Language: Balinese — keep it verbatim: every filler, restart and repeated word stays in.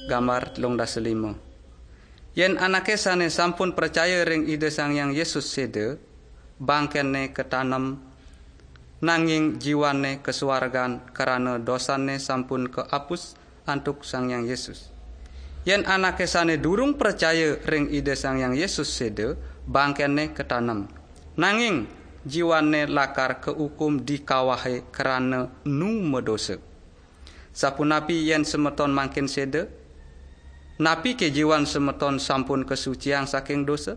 Gambar telung dasa lima. Yen anake sane sampun pracaya ring Ida Sang Hyang Yesus seda, bangkene katanem, nanging jiwane kasuargan krana dosane sampun kaapus antuk Sang Hyang Yesus. Yen anake sane durung pracaya ring Ida Sang Hyang Yesus seda, bangkene katanem, nanging jiwane lakar kaukum di kawahe krana nu madosa. Sapunapi yen semeton mangkin seda? Napike jiwan semeton sampun kasuciang saking dosa?